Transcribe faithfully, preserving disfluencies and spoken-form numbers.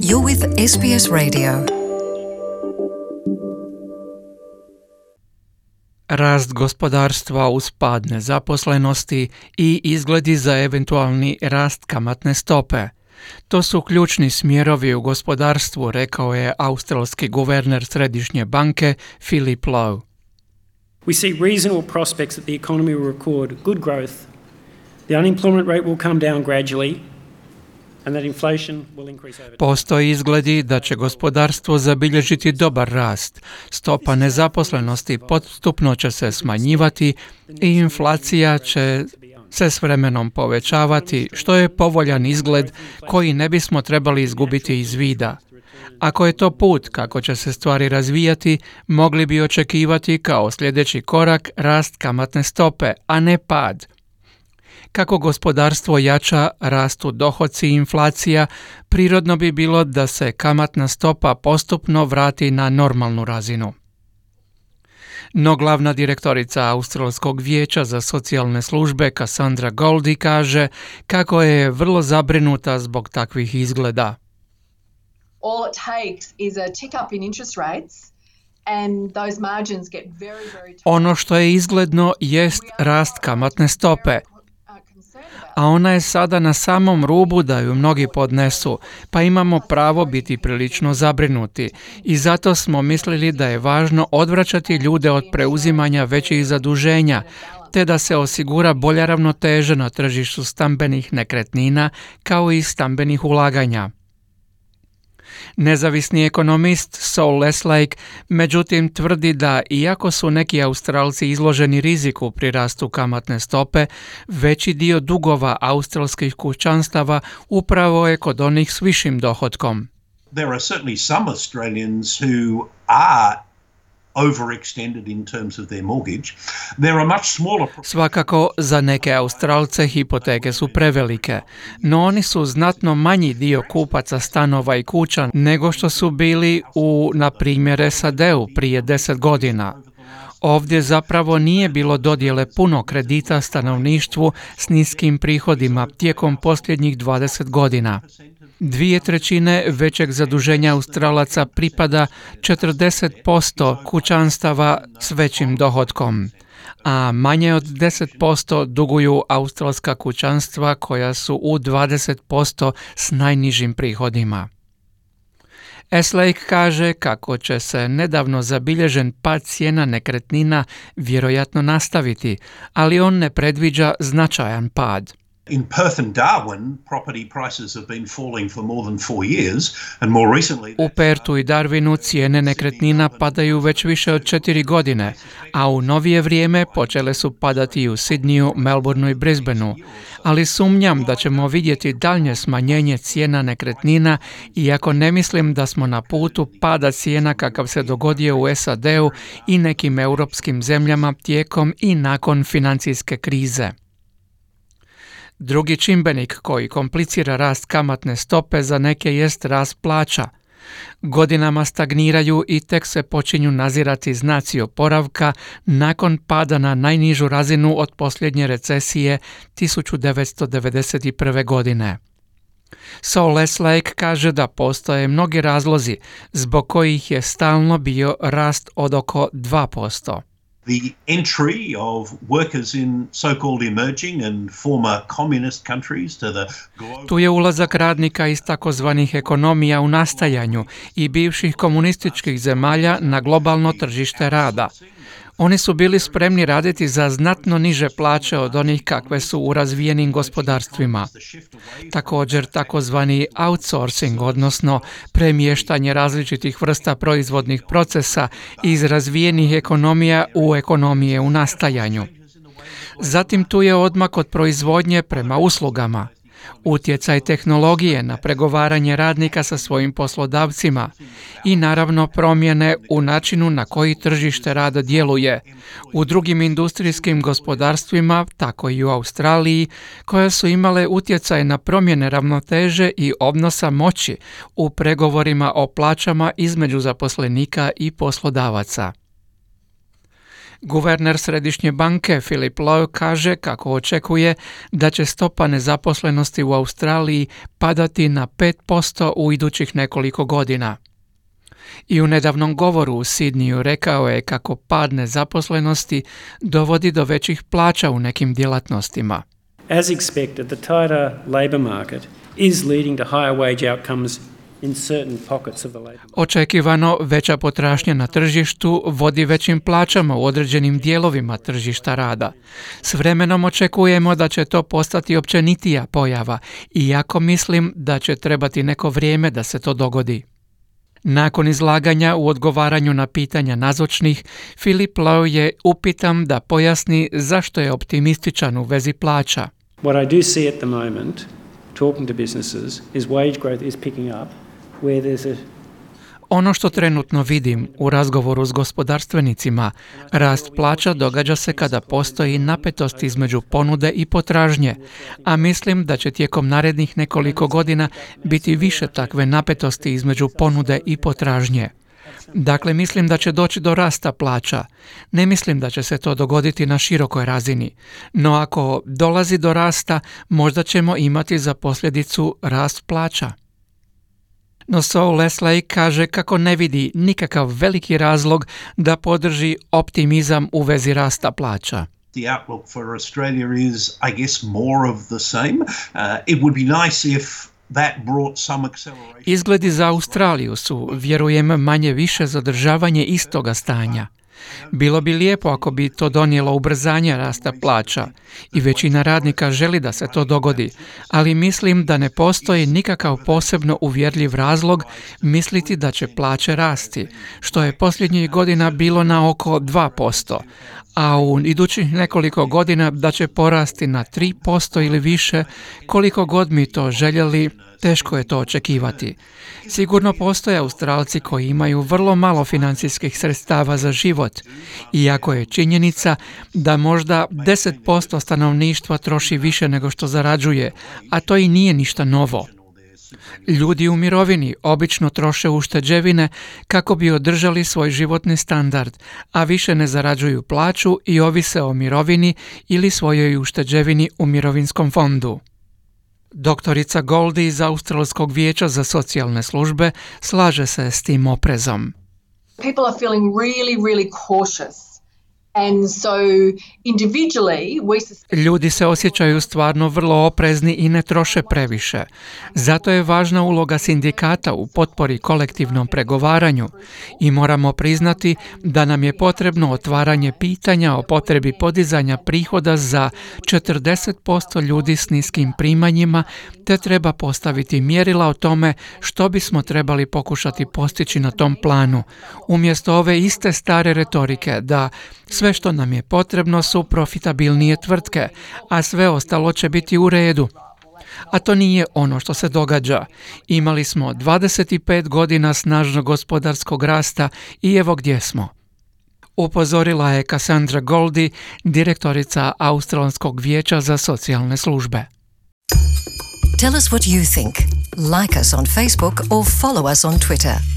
You're with S B S Radio. Rast gospodarstva uz pad nezaposlenosti i izgledi za eventualni rast kamatne stope. To su ključni smjerovi u gospodarstvu, rekao je australski guverner Središnje banke Philip Lowe. We see reasonable prospects that the economy will record good growth, the unemployment rate will come down gradually, and that inflation will increase over time. Postoji izgledi da će gospodarstvo zabilježiti dobar rast, stopa nezaposlenosti postupno će se smanjivati i inflacija će se s vremenom povećavati, što je povoljan izgled koji ne bismo trebali izgubiti iz vida. Ako je to put kako će se stvari razvijati, mogli bi očekivati kao sljedeći korak rast kamatne stope, a ne pad. Kako gospodarstvo jača, rastu dohoci i inflacija, prirodno bi bilo da se kamatna stopa postupno vrati na normalnu razinu. No glavna direktorica Australskog vijeća za socijalne službe Cassandra Goldie kaže kako je vrlo zabrinuta zbog takvih izgleda. All it takes is a tick up in interest rates and those margins get very, very tight. Ono što je izgledno jest rast kamatne stope, a ona je sada na samom rubu da ju mnogi podnesu, pa imamo pravo biti prilično zabrinuti i zato smo mislili da je važno odvraćati ljude od preuzimanja većih zaduženja, te da se osigura bolja ravnoteža na tržištu stambenih nekretnina kao i stambenih ulaganja. Nezavisni ekonomist Saul Leslake međutim tvrdi da iako su neki Australci izloženi riziku pri rastu kamatne stope, veći dio dugova australskih kućanstava upravo je kod onih s višim dohotkom. There are certainly some Australians who are overextended in terms of their mortgage. There are much smaller... Svakako za neke Australce hipoteke su prevelike, no oni su znatno manji dio kupaca stanova i kuća nego što su bili u, na primjer, S A D-u prije deset godina. Ovdje zapravo nije bilo dodjele puno kredita stanovništvu s niskim prihodima tijekom posljednjih dvadeset godina. Dvije trećine većeg zaduženja Australaca pripada četrdeset posto kućanstava s većim dohotkom, a manje od deset posto duguju australska kućanstva koja su u dvadeset posto s najnižim prihodima. Eslake kaže kako će se nedavno zabilježen pad cijena nekretnina vjerojatno nastaviti, ali on ne predviđa značajan pad. In Perth and Darwin, property prices have been falling for more than four years, and more recently... U Perthu i Darwinu cijene nekretnina padaju već više od četiri godine, a u novije vrijeme počele su padati i u Sydneyu, Melbourneu i Brisbaneu, ali sumnjam da ćemo vidjeti daljnje smanjenje cijena nekretnina, iako ne mislim da smo na putu pada cijena kakav se dogodio u S A D-u i nekim europskim zemljama tijekom i nakon financijske krize. Drugi čimbenik koji komplicira rast kamatne stope za neke jest rast plaća. Godinama stagniraju i tek se počinju nazirati znaci oporavka nakon pada na najnižu razinu od posljednje recesije tisuću devetsto devedeset prve. godine. Saul Leslake kaže da postoje mnogi razlozi zbog kojih je stalno bio rast od oko dva posto. The entry of workers in so-called emerging and former communist countries to the global... Tu je ulazak radnika iz takozvanih ekonomija u nastajanju i bivših komunističkih zemalja na globalno tržište rada. Oni su bili spremni raditi za znatno niže plaće od onih kakve su u razvijenim gospodarstvima. Također takozvani outsourcing, odnosno premještanje različitih vrsta proizvodnih procesa iz razvijenih ekonomija u ekonomije u nastajanju. Zatim tu je odmak od proizvodnje prema uslugama. Utjecaj tehnologije na pregovaranje radnika sa svojim poslodavcima i naravno promjene u načinu na koji tržište rada djeluje u drugim industrijskim gospodarstvima, tako i u Australiji, koje su imale utjecaj na promjene ravnoteže i odnosa moći u pregovorima o plaćama između zaposlenika i poslodavaca. Guverner Središnje banke Philip Lowe kaže kako očekuje da će stopa nezaposlenosti u Australiji padati na pet posto u idućih nekoliko godina. I u nedavnom govoru u Sidniju rekao je kako pad nezaposlenosti dovodi do većih plaća u nekim djelatnostima. As expected, the tighter labour market is leading to higher wage outcomes in certain pockets of the labour market. Očekivano veća potražnja na tržištu vodi većim plaćama u određenim dijelovima tržišta rada. S vremenom očekujemo da će to postati općenitija pojava, iako mislim da će trebati neko vrijeme da se to dogodi. Nakon izlaganja u odgovaranju na pitanja nazočnih, Philip Lowe je upitan da pojasni zašto je optimističan u vezi plaća. What I do see at the moment, talking to businesses, is wage growth is picking up where there's a Ono što trenutno vidim u razgovoru s gospodarstvenicima, rast plaća događa se kada postoji napetost između ponude i potražnje, a mislim da će tijekom narednih nekoliko godina biti više takve napetosti između ponude i potražnje. Dakle, mislim da će doći do rasta plaća. Ne mislim da će se to dogoditi na širokoj razini, no ako dolazi do rasta, možda ćemo imati za posljedicu rast plaća. No Saul Leslie kaže kako ne vidi nikakav veliki razlog da podrži optimizam u vezi rasta plaća. The outlook for Australia is, I guess, more of the same. Uh, it would be nice if that brought some acceleration. Izgledi za Australiju su, vjerujem, manje više zadržavanje istoga stanja. Bilo bi lijepo ako bi to donijelo ubrzanje rasta plaća i većina radnika želi da se to dogodi, ali mislim da ne postoji nikakav posebno uvjerljiv razlog misliti da će plaće rasti, što je posljednjih godina bilo na oko dva posto, a u idućih nekoliko godina da će porasti na tri posto ili više, koliko god mi to željeli, teško je to očekivati. Sigurno postoje Australci koji imaju vrlo malo financijskih sredstava za život, iako je činjenica da možda deset posto stanovništva troši više nego što zarađuje, a to i nije ništa novo. Ljudi u mirovini obično troše ušteđevine kako bi održali svoj životni standard, a više ne zarađuju plaću i ovise o mirovini ili svojoj ušteđevini u mirovinskom fondu. Doktorica Goldie iz Australskog vijeća za socijalne službe slaže se s tim oprezom. People are feeling really, really cautious. And so individually we suspect... Ljudi se osjećaju stvarno vrlo oprezni i ne troše previše. Zato je važna uloga sindikata u potpori kolektivnom pregovaranju i moramo priznati da nam je potrebno otvaranje pitanja o potrebi podizanja prihoda za četrdeset posto ljudi s niskim primanjima, te treba postaviti mjerila o tome što bismo trebali pokušati postići na tom planu, umjesto ove iste stare retorike da sve što nam je potrebno su profitabilnije tvrtke, a sve ostalo će biti u redu. A to nije ono što se događa. Imali smo dvadeset pet godina snažnog gospodarskog rasta i evo gdje smo. Upozorila je Cassandra Goldie, direktorica Australskog vijeća za socijalne službe. Tell us what you think. Like us on Facebook or follow us on Twitter.